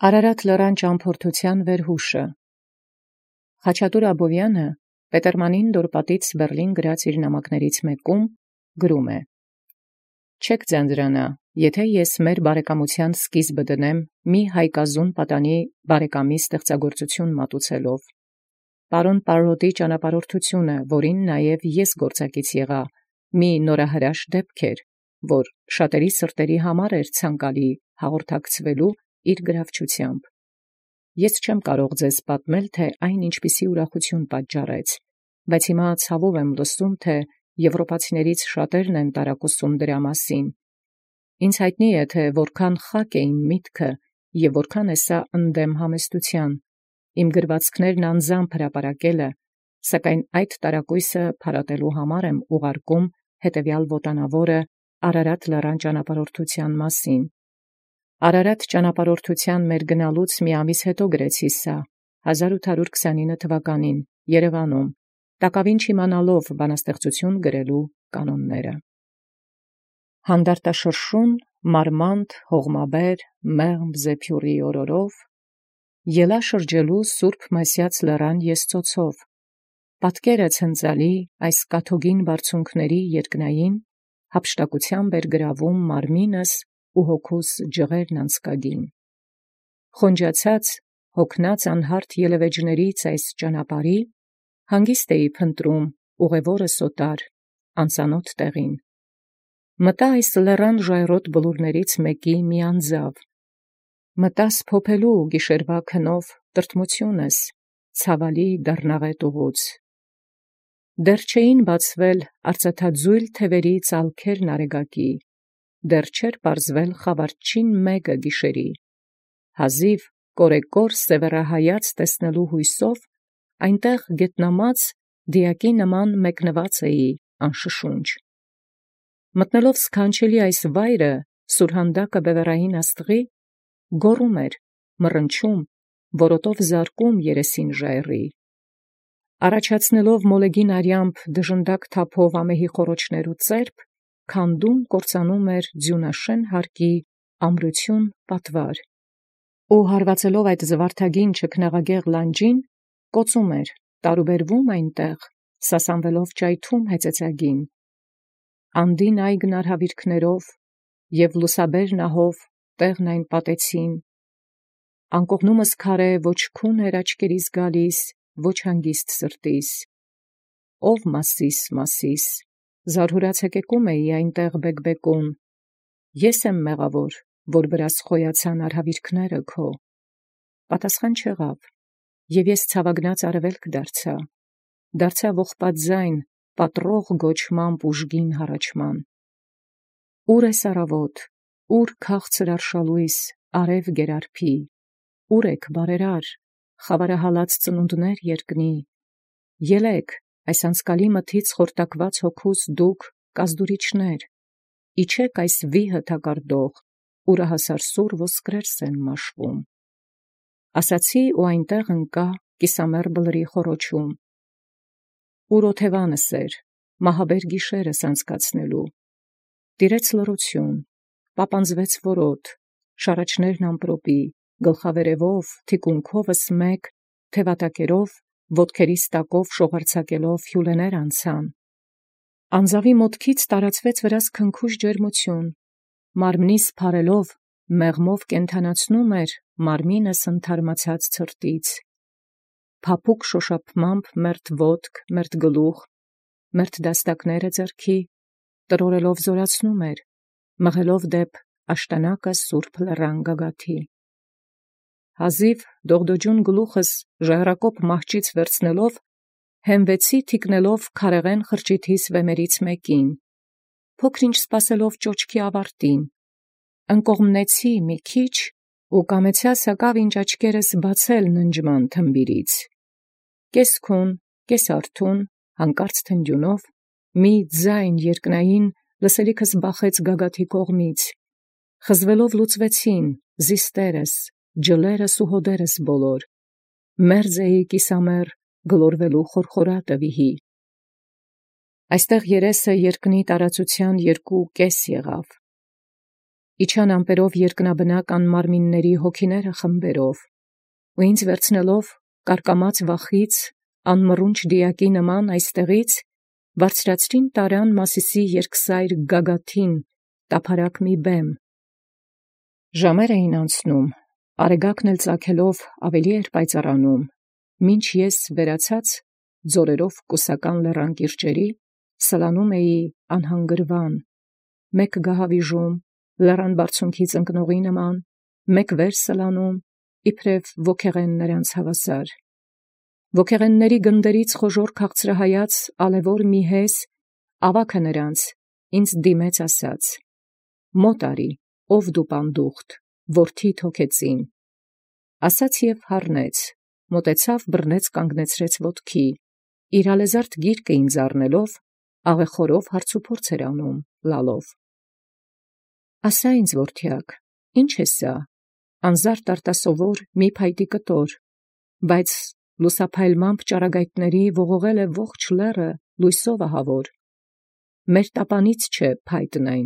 Արարատ լռան ճամփորդութեան վերհուշը։ Խաչատուր Աբովյանը Պետերմանին դորպատից Բերլին գրած իր նամակներից մեկում գրում է. «Չեք ձանձրանա, եթե ես մեր բարեկամութեան սկիզբը դնեմ մի հայկազուն պատանի բարեկամի ստեղծագործություն մատուցելով։ Պարոն Պարրոտի ճանապարհորդությունը, որին նաև ես գործակից եղա, մի նորահրաշ դեպք էր, որ շատերի սրտերի համար էր ցանկալի հաղորդակցվելու իր գրավչությամբ։ Ես չեմ կարող ձեզ պատմել, թե այն ինչպիսի ուրախություն պատճառեց, բայց հիմա ցավով եմ լսում, թե եվրոպացիներից շատերն են տարակուսում դրա մասին։ Ինձ հայտնի է, թե որքան խակ է իմ միտքը և որքան է սա ընդդեմ համեստության, իմ գրվածքներն անձամբ հրապարակելը, սակայն այդ տարակույսը փարատելու համար եմ ուղարկում հետևյալ ոտանավորը Արարատ լեռան ճանապարհորդութեան մասին։ Արարատ ճանապարհորդութեան մեր գնալուց մի ամիս հետո գրեցի սա, 1829 թվականին, Երևանում, տակավին չիմանալով բանաստեղծություն գրելու կանոնները։ Հանդարտաշրշուն, մարմանդ, հողմաբեր, մեղմ զեփյուռի օրորով, ելա շրջելու Սուրբ Մեսյաց լեռան եսծոցով, պատկերը ցնծալի այս կաթոգին բարձունքների երկնային, հափշտակությամբ էր գրավում մարմինս ու հոգուս ջղերն անցկագին։ Խոնջացած, հոգնած անհարթ ելևէջներից այս ճանապարհի, հանգիստ էի փնտրում ուղևորս օտար, անծանոթ տեղին։ Մտա այս լեռան ժայռոտ բլուրներից մեկի մի անձավ, մտա սփոփելու գիշերվա քնով տրտմությունս, ցավալի դառնաղետ ուղուց։ Դեռ չէին բացվել արծաթաձույլ թևերի ծալքերն արեգակի, դեռ չէր պարզվել խավարչին մեկը գիշերի, հազիվ կորեկոր սևեռահայաց տեսնելու հույսով այնտեղ գետնամած դիակի նման մեկնված էի անշշունչ։ Մտնելով սքանչելի այս վայրը, սուրհանդակը բևեռային աստղի, գոռում էր, մռնչում, որոտով զարկում երեսին ժայռի։ Առաջացնելով մոլեգին արյամբ դժնդակ թափով ամեհի խոռոչներու ծերպ, քանդում կործանում էր ձյունաշեն հարկի ամրություն պատվար, ու հարվածելով այդ զվարթագին չքնաղագեղ լանջին, կոծում էր, տարուբերվում այնտեղ, սասանվելով ճայթում հեծեծագին։ Անդին այգն արհավիրքներով և լուսաբեր նահով տեղն այն պատեցին, անկողնումս քարե ոչ քուն էր աչքերիս գալիս, ոչ հանգիստ սրտիս։ Ով Մասիս, զարհուրած հեկեկում էի այնտեղ բեկբեկուն, ես եմ մեղավոր, որ վրաս խոյացան արհավիրքները քո։ Պատասխան չեղավ, և ես ցավագնաց արևելք դարձա ողբած ձայն, պատռող գոչմամբ ուժգին հառաչման։ Ուր ես առավոտ, ուր քաղցր արշալույս, արև գերարփի, ուր եք բարերար, խավարահալած ծնունդներ երկնի, ելեք, այս անցկալի մթից խորտակված հոգուս դուք կազդուրիչներ, իջեք այս վիհը թակարդող, ուրահասար սուր ոսկրերս են մաշվում։ Ասացի ու այնտեղ ընկա կիսամեռ բլրի խոռոչում։ Ուր օթևանս էր, մահաբեր գիշերս անցկացնելու, տիրեց լռություն, պապանձվեց որոտ, շառաչներն ամպրոպի, գլխավերևով, թիկունքովս մեկ, թևատակերով, ոտքերիս տակով շողարցակելով հյուլեներ անցան։ Անձավի մոտքից տարածվեց վրաս քնքուշ ջերմություն, մարմնիս փարելով, մեղմով կենդանացնում էր մարմինս ընդհարմացած ցրտից։ Փափուկ շոշափմամբ մերթ ոտք, մերթ գլուխ, մերթ դաստակները ձեռքի, տրորելով զորացնում էր, մղելով դեպ աշտանակը սուրբ լեռան գագաթի։ Հազիվ դողդոջուն գլուխս ժայռակոպ մահճից վերցնելով, հենվեցի թիկնելով քարեղեն խրճիթիս վեմերից մեկին, փոքր-ինչ սպասելով ճոճքի ավարտին, ընկողմնեցի մի քիչ ու կամեցյալ սակավ ինչ աչքերս բացել ննջման թմբիրից։ Կես քուն, կես արթուն, հանկարծ թնդյունով, մի ձայն երկնային լսելիքս բախեց գագաթի կողմից, խզվելով լուծվեցին զիստերս, ջլերս ու հոդերս բոլոր, մերձ էի կիսամեռ գլորվելու խորխորատը վիհի։ Այստեղ երեսը երկնի տարածության 2 կես եղավ։ իջան ամպերով երկնաբնակ անմարմինների հոգիները խմբերով, ու ինձ վերցնելով կարկամած վախից, անմռունչ դիակի նման այստեղից, բարձրացրին տարան Մասիսի երկսայր գագաթին, տափարակ մի բեմ։ Ժամեր էին անցնում, արեգակն էլ ծագելով ավելի էր պայծառանում, մինչ ես վերացած ձորերով կուսական լեռան կիրճերի սլանում էի անհանգրվան, մեկ գահավիժում, լեռան բարձունքից ընկնողի նման, մեկ վեր սլանում, իբրև ոգեղեն նրանց հավասար։ Ոգեղենների գնդերից խոժոր քաղցրահայաց ալևոր մի հես, ավագը նրանց, ինձ դիմեց ասաց. «Մոտ արի, ով դու պանդուխտ, որդի թոքեցին»։ Ասաց և հառնեց, մոտեցավ, բռնեց կանգնեցրեց ոտքի, իր ալեզարդ գիրկը ինձ առնելով, աղեխորով հարցուփորձ էր անում, լալով. «Ասա ինձ, որդյակ, ի՞նչ է սա»։ Անզարդ արտասովոր մի փայտի կտոր, բայց լուսափայլմամբ ճառագայթների ողողել է ողջ լեռը լույսով ահավոր։ Մեր տապանից չէ փայտն այն,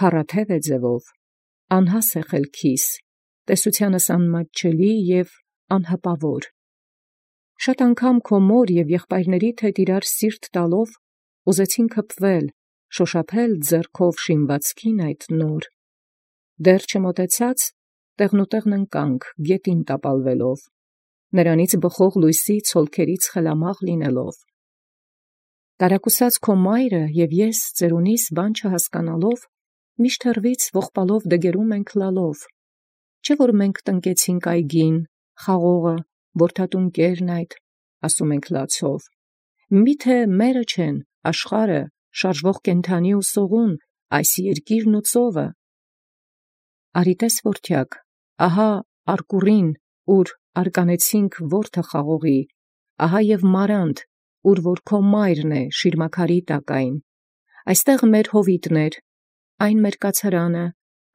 քառաթև է ձևով, անհաս է խելքիս, տեսությանս անմատչելի և անհպավոր։ Շատ անգամ քո մոր և եղբայրներիդ հետ իրար սիրտ տալով ուզեցին քպվել, շոշափել ձեռքով շինվածքին այդ նոր։ Դեռ չմոտեցած, տեղնուտեղն ընկանք, գետին տապալվելով, նրանից բխող լույսի ցոլքերից խելամաղ լինելով։ Տարակուսած քո մայրը և ես ծերունիս բան չհասկանալով, միշտ հեռվից ողբալով դգերում ենք լալով։ Չէ՞ որ մենք տնկեցինք այգին, խաղողը, որդատունկերն այդ, ասում ենք լացով։ Միթե մերը չեն, աշխարհը, շարժվող կենդանի ու սողուն, այս երկիրն ու ծովը։ Արի տես, որդյակ, ահա արկուռին, ուր արկանեցինք որդը խաղողի, ահա և մարանդ, ուր որ քո մայրն է շիրմաքարի տակայն, այստեղ մեր հովիտներ, այն մեր կացարանը,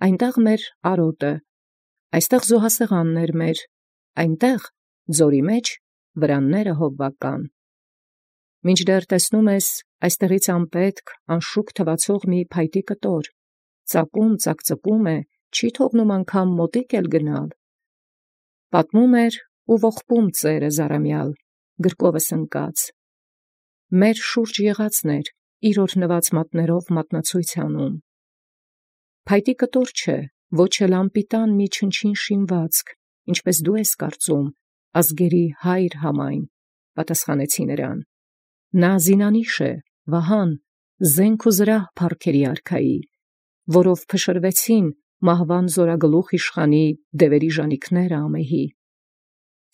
այնտեղ մեր արոտը, այստեղ զոհասեղաններ մեր, այնտեղ ձորի մեջ վրանները հովվական։ Մինչդեռ տեսնում ես այստեղից անպետք, անշուք թվացող մի փայտի կտոր, ծակում, ծակծկում է, չի թողնում անգամ մոտիկ էլ գնալ։ Պատմում էր ու ողբում ծերը զարամյալ, գրկովս ընկած։ Մեր շուրջ եղածն էր, իր օրհնված մատներով մատնացույց անում։ Փայտի կտոր չէ, ոչ էլ անպիտան մի չնչին շինվածք, ինչպես դու ես կարծում, ազգերի հայր համայն, պատասխանեցի նրան։ Նա զինանիշ է, վահան, զենք ու զրահ փառքերի արքայի, որով փշրվեցին մահվան զորագլուխ իշխանի դևերի ժանիքները ամեհի։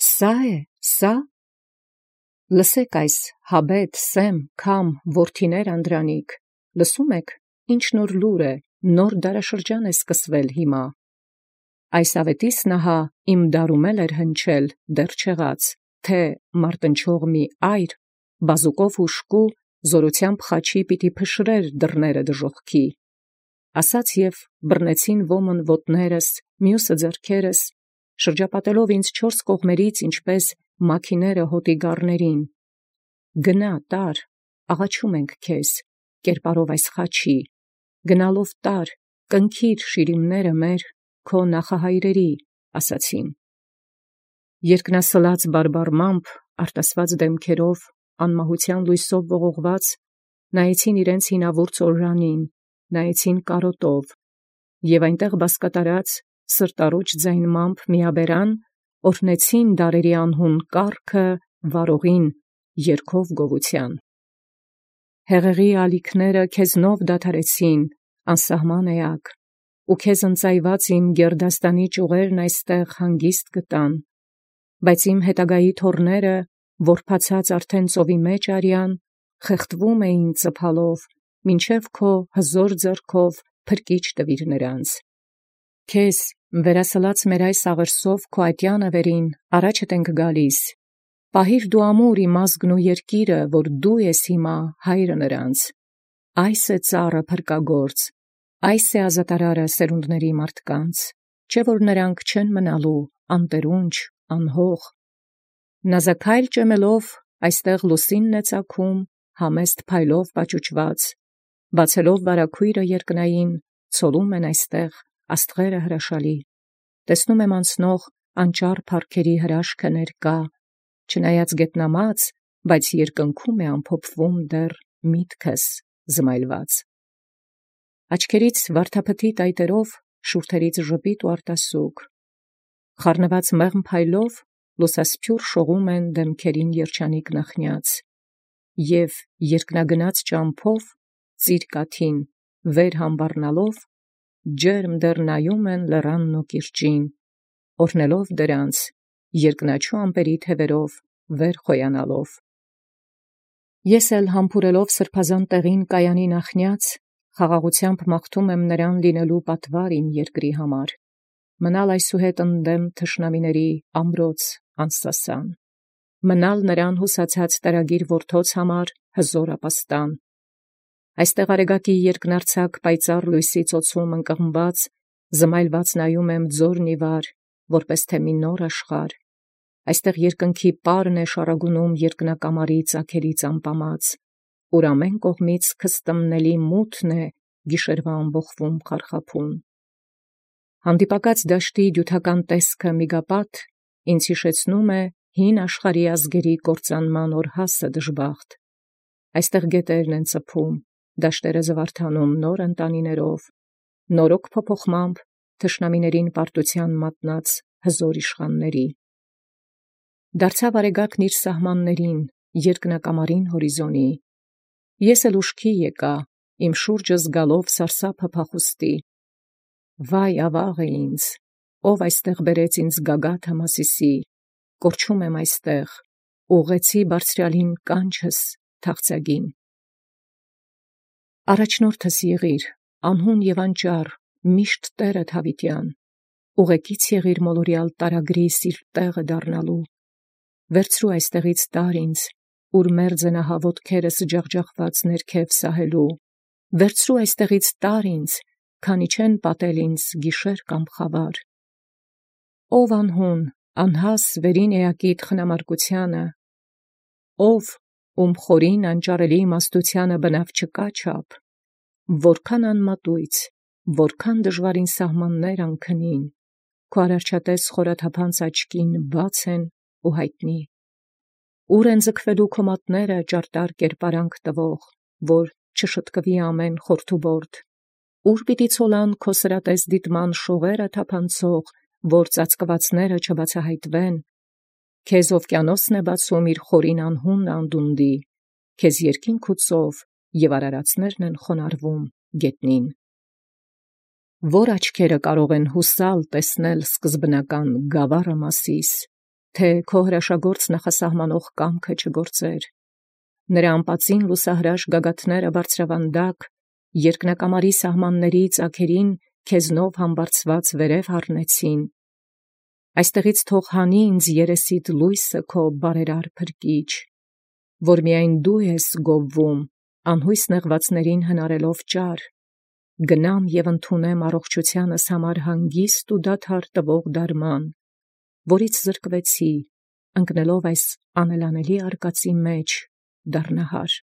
Սա է, սա։ Լսեք այս հաբետ, սեմ, քամ, որդիներ անդրանիկ, լսում եք, ինչ նոր լուր է, նոր դարաշրջան է սկսվել հիմա։ Այս ավետիս նահա իմ դարում էր հնչել, դեռ չեղած, թե մարտնչող մի այր, բազուկով հուշկու, զորությամբ խաչի պիտի փշրեր դռները դժոխքի։ Ասաց և բռնեցին ոմն ոտներս, մյուսը ձեռքերս, շրջապատելով ինձ չորս կողմերից, ինչպես մաքիները հոտի գառներին։ Գնա, տար, աղաչում ենք քեզ, կերպարով այս խաչի, գնալով տար, կնքիր շիրիմները մեր, քո նախահայրերի, ասացին։ Երկնասլաց բարբառմամբ, արտասված դեմքերով, անմահության լույսով ողողված, նայեցին իրենց հինավուրց օրրանին, նայեցին կարոտով, և այնտեղ բասկատարած, սրտառուչ ձայնմամբ միաբերան, օրհնեցին դարերի անհուն կառքը վարողին, երգով գովության։ Հեղեղի ալիքները քեզնով դադարեցին, անսահման էակ, ու քեզ ընծայված իմ գերդաստանի ճյուղերն այստեղ հանգիստ գտան, բայց իմ հետագայի թոռները, որբացած արդեն ծովի մեջ արյան, խեղդվում էին ծփալով, մինչև քո հզոր ձեռքով փրկիչ տվիր նրանց։ Քեզ, վերասլած մեր այս աղերսով քո ատյանը վերին, առաջդ ենք գալիս, պահիր դու ամուր իմ ազգն ու երկիրը, որ դու ես հիմա հայրը նրանց։ Այս է ծառը փրկագործ, այս է ազատարարը սերունդների մարդկանց, չէ որ նրանք չեն մնալու անտերունջ, անհող։ Նազաքայլ ճեմելով այստեղ լուսինն է ծագում, համեստ փայլով պաճուճված, բացելով վարագույրը երկնային, ցոլում են այստեղ աստղերը հրաշալի, տեսնում եմ անցնող անճար փառքերի հրաշքը ներկա, չնայած գետնամած, բայց երկնքում է ամփոփվում դեռ միտքս զմայլված։ Աչքերից վարդապետի տայտերով, շուրթերից ժպիտ ու արտասուք, խառնված մեղմ փայլով լուսասփյուռ շողում են դեմքերին երջանիկ նախնյաց, և երկնագնաց ճամփով ծիրկաթին վեր համբառնալով, ջերմ դեռ նայում են լեռանն ու կիրճին, օրհնելով դրանց, երկնաչու ամպերի թևերով վեր խոյանալով։ Ես էլ համբուրելով սրբազան տեղին կայանի նախնյաց, խաղաղությամբ մաղթում եմ նրան լինելու պատվար իմ երկրի համար, մնալ այսուհետ ընդդեմ թշնամիների ամրոց անսասան, մնալ նրան հուսացած տարագիր որդոց համար հզոր ապաստան։ Այստեղ արեգակի երկնարձակ պայծառ լույսի ծոցում ընկղմված, զմայլված նայում եմ ձորն ի վար, որպես թե մի նոր աշխարհ։ Այստեղ երկնքի պարն է շարագունում երկնակամարի ծագերից ամպամած, ուր ամեն կողմից քստմնելի մութն է գիշերվա ամբոխվում խարխափում։ Հանդիպակաց դաշտի դյութական տեսքը միգապատ ինձ հիշեցնում է հին աշխարհի ազգերի կործանման օրհասը դժբախտ։ Այստեղ գետերն են ծփում, դաշտերը զվարթանում նոր ընտանիներով, նորոգ փոփոխմամբ թշնամիներին պարտության մատնած հզոր իշխանների։ Դարձավ արեգակն իր սահմաններին, երկնակամարին հորիզոնի։ Ես էլ ուշքի եկա, իմ շուրջը զգալով սարսափը փախուստի։ Վայ ավաղ է ինձ, ով այստեղ բերեց ինձ գագաթը Մասիսի, կորչում եմ այստեղ, ուղղեցի բարձրյալին կանչս թախծագին։ Առաջնորդս եղիր, անհուն և անճար, միշտ Տերդ հավիտյան, ուղեկից եղիր մոլորյալ տարագրի սիրտ տեղը դառնալու, վերցրու այստեղից տար ինձ, ուր մերձ են ահա ոտքերս ջախջախված ներքև սահելու, վերցրու այստեղից տար ինձ, քանի չեն պատել ինձ գիշեր կամ խավար։ Ով անհուն, անհաս վերին էակիդ խնամարկությանը, ով ում խորին անճարելի իմաստությանը բնավ չկա չափ, որքան անմատույց, որքան դժվարին սահմաններ անքնին, քո արարչատես խորաթափանց աչքին բաց են ու հայտնի։ Ուր են ձգվելու քո մատները ճարտար կերպարանք տվող, որ չշտկվի ամեն խորթուբորդ, ուր պիտի ցոլան քո սրատես դիտման շողերը թափանցող, որ ծածկվածները չբացահայտվեն, քեզ օվկիանոսն է բացում իր խորին անհուն անդունդի, քեզ երկինք ու ծով և արարածներն են խոնարհվում գետնին։ Որ աչքերը կարող են հուսալ տեսնել սկզբնական գավառը Մասիս, թե քո հրաշագործ նախասահմանող կամքը չգործեր։ Նրա անպատին լուսահրաշ գագաթները բարձրավանդակ, երկնակամարի սահմանների ծագերին քեզնով համբարձված վերև հառնեցին։ Այստեղից թող հանի ինձ երեսիդ լույսը քո բարերար փրկիչ, որ միայն դու ես գովվում, անհույս նեղվածներին հնարելով ճար, գնամ և ընդունեմ առողջությանս համար հանգիստ ու դադար տվող դարման, որից զրկվեցի, ընկնելով այս անելանելի արկածի մեջ դառնահար։